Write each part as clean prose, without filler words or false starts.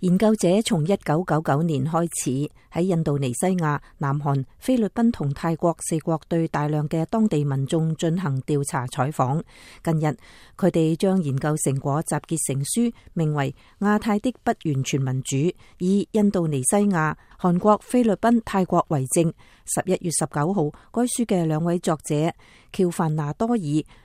研究者從1999年開始喺印度尼西亞、南韓、菲律賓同泰國4國對大量嘅當地民眾進行調查採訪。近日，佢哋將研究成果集結成書，名為《亞太的不完全民主》，以印度尼西亞、韓國、菲律賓、泰國為證。11月19號，該書嘅2位作者喬凡拿多爾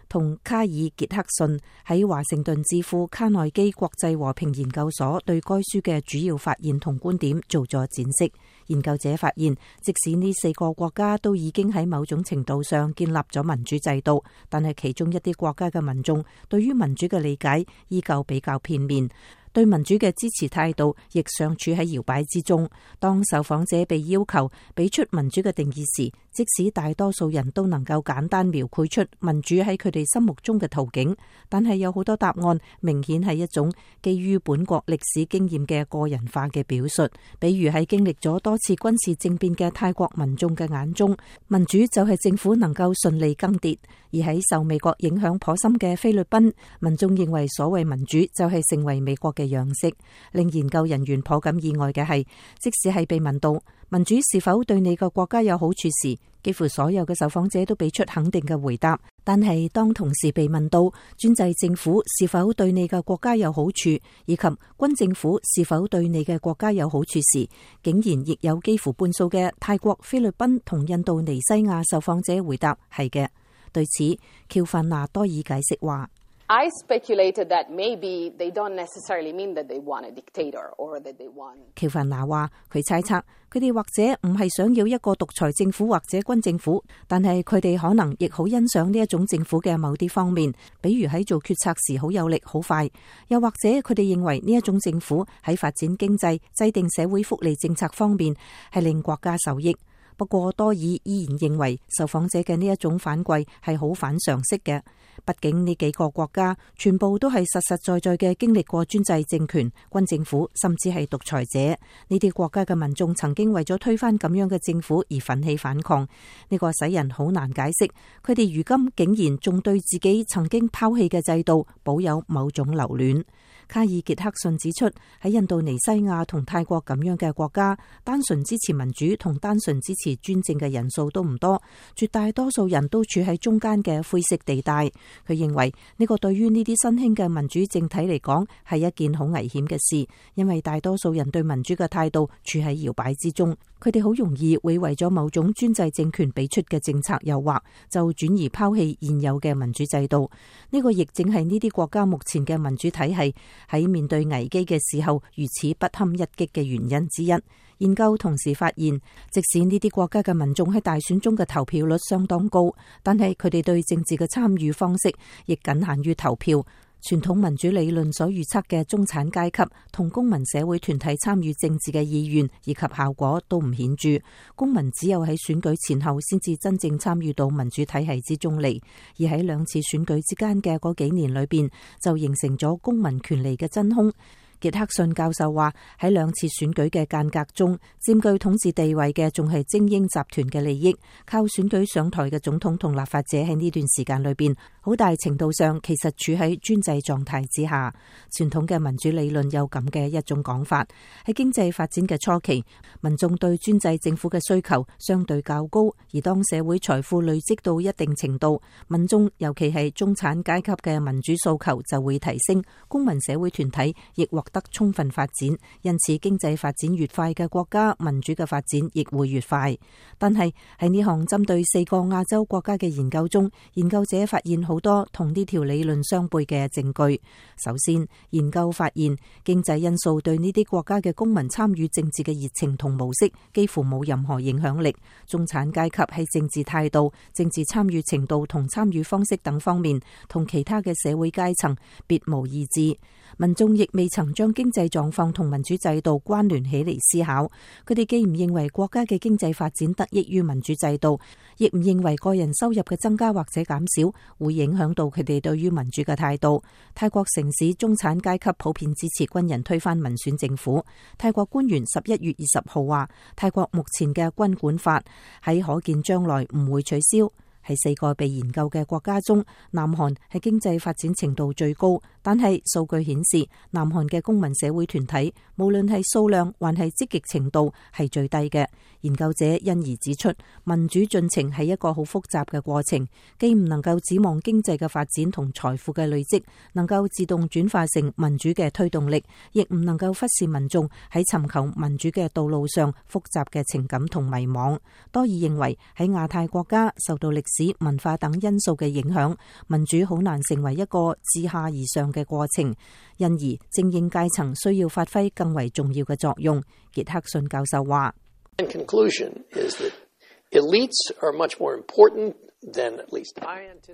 同卡爾傑克遜喺華盛頓智庫卡內基國際和平研究所對該書嘅主要發現同觀點做咗展示。研究者發現，即使呢4個國家都已經喺某種程度上建立咗民主制度，但係其中一啲國家嘅民眾對於民主嘅理解依舊比較片面，對民主嘅支持態度亦尚處喺搖擺之中。當受訪者被要求俾出民主嘅定義時，即使大多數人都能夠簡單描繪出民主喺佢哋心目中嘅途徑，但係有好多答案明顯係一種基於本國歷史經驗嘅個人化嘅表述。比如喺經歷咗多次軍事政變嘅泰國民眾嘅眼中，民主就係政府能夠順利更迭；而喺受美國影響頗深嘅菲律賓，民眾認為所謂民主就係成為美國嘅樣式。令研究人員頗感意外嘅係，即使係被問到民主是否對你個國家有好處時，幾乎所有嘅受訪者都俾出肯定嘅回答。但係當同時被問到專制政府是否對你嘅國家有好處，以及軍政府是否對你嘅國家有好處時，竟然亦有幾乎半數嘅泰國、菲律賓同印度尼西亞受訪者回答係嘅。對此，喬凡拿多爾解釋話：I speculated that maybe they don't necessarily mean that they want a dictator or that they want。喬凡拿話佢猜測佢哋或者唔係想要一個獨裁政府或者軍政府，但係佢哋可能亦好欣賞呢一種政府嘅某啲方面，比如喺做決策時好有力、好快，又或者佢哋認為呢一種政府喺發展經濟、制定社會福利政策方面係令國家受益。不過多爾依然認為受訪者嘅呢一種反饋係好反常識嘅，畢竟呢幾個國家全部都係實實在在嘅經歷過專制政權、軍政府，甚至係獨裁者。呢啲國家嘅民眾曾經為咗推翻咁樣嘅政府而奮起反抗，呢個使人好難解釋，佢哋如今竟然仲對自己曾經拋棄嘅制度保有某種留戀。卡爾傑克遜指出，喺印度尼西亞同泰國咁樣嘅國家，單純支持民主同單純支持專政嘅人數都唔多，絕大多數人都處喺中間嘅灰色地帶。佢認為呢個對於呢啲新興嘅民主政體嚟講係一件好危險嘅事，因為大多數人對民主嘅態度處喺搖擺之中，佢哋好容易會為咗某種專制政權俾出嘅政策誘惑，就轉而拋棄現有嘅民主制度。呢個亦正係呢啲國家目前嘅民主體系喺面對危機嘅時候如此不堪一擊嘅原因之一。研究同時發現，即使呢啲國家嘅民眾喺大選中嘅投票率相當高，但係佢哋對政治嘅參與方式亦僅限於投票。傳統民主理論所預測嘅中產階級同公民社會團體參與政治嘅意願以及效果都唔顯著，公民只有喺選舉前後先至真正參與到民主體系之中嚟，而喺2次選舉之間嘅嗰幾年裏邊，就形成咗公民權利嘅真空。傑克遜教授話，喺2次選舉嘅間隔中，佔據統治地位嘅仲係精英集團嘅利益，靠選舉上台嘅總統同立法者喺呢段時間裏邊，好大程度上其實處喺專制狀態之下。傳統嘅民主理論有咁嘅一種講法，喺經濟發展嘅初期，民眾對專制政府嘅需求相對較高，而當社會財富累積到一定程度，民眾尤其係中產階級嘅民主訴求就會提升，公民社會團體亦獲得充分發展，因此經濟發展越快嘅國家，民主嘅發展亦會越快。但係喺呢項針對4個亞洲國家嘅研究中，研究者發現好多同呢條理論相悖嘅證據。首先，研究發現經濟因素對呢啲國家嘅公民參與政治嘅熱情同模式幾乎冇任何影響力。中產階級喺政治態度、政治參與程度同參與方式等方面，同其他嘅社會階層別無二致。民眾亦未曾將經濟狀況同民主制度關聯起嚟思考，佢哋既唔認為國家嘅經濟發展得益於民主制度，亦唔認為個人收入嘅增加或者減少會影響到佢哋對於民主嘅態度。泰國城市中產階級普遍支持軍人推翻民選政府。泰國官員11月20號話，泰國目前嘅軍管法喺可見將來唔會取消。喺4個被研究嘅國家中，南韓係經濟發展程度最高，但係數據顯示，南韓嘅公民社會團體無論係數量還係積極程度係最低嘅。研究者因而指出，民主進程係一個好複雜嘅過程，既唔能夠指望經濟嘅發展同財富嘅累積能夠自動轉化成民主嘅推動力，亦唔能夠忽視民眾喺尋求民主嘅道路上複雜嘅情感同迷惘。多爾認為喺亞太國家受到歷史、文化等因素嘅影響，民主好難成為一個自下而上嘅過程，因而精英階層需要發揮更為重要嘅作用。傑克遜教授話：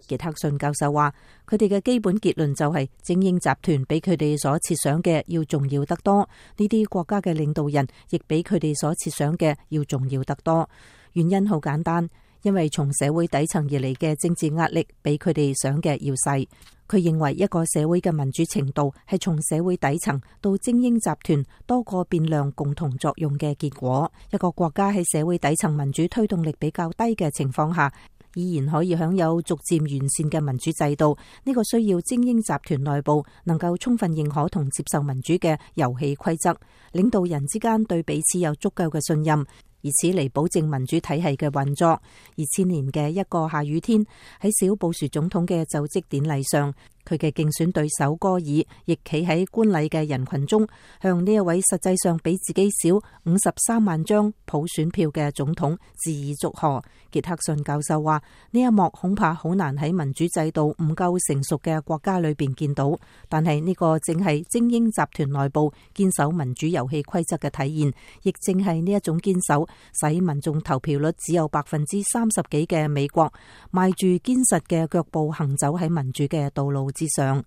傑克遜教授話，佢哋嘅基本結論就係精英集團比佢哋所設想嘅要重要得多，呢啲國家嘅領導人亦比佢哋所設想嘅要重要得多。原因好簡單，因為從社會底層而嚟嘅政治壓力比佢哋想嘅要細。佢認為一個社會嘅民主程度係從社會底層到精英集團多個變量共同作用嘅結果。一個國家喺社會底層民主推動力比較低嘅情況下，依然可以享有逐漸完善嘅民主制度，呢個需要精英集團內部能夠充分認可同接受民主嘅遊戲規則，領導人之間對彼此有足夠嘅信任，以此嚟保證民主體系嘅運作。2000年嘅一個下雨天，喺小布殊總統嘅就職典禮上，佢嘅競選對手戈爾亦企喺觀禮嘅人群中，向呢一位實際上比自己少53萬張普選票嘅總統致以祝賀。傑克遜教授話：呢一幕恐怕好難喺民主制度唔夠成熟嘅國家裏邊見到，但係呢個正係精英集團內部堅守民主遊戲規則嘅體現，亦正係呢一種堅守，使民眾投票率只有30%幾嘅美國，邁住堅實嘅腳步行走喺民主嘅道路之上。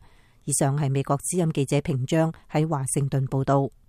以上係美國之音記者平章喺華盛頓報道。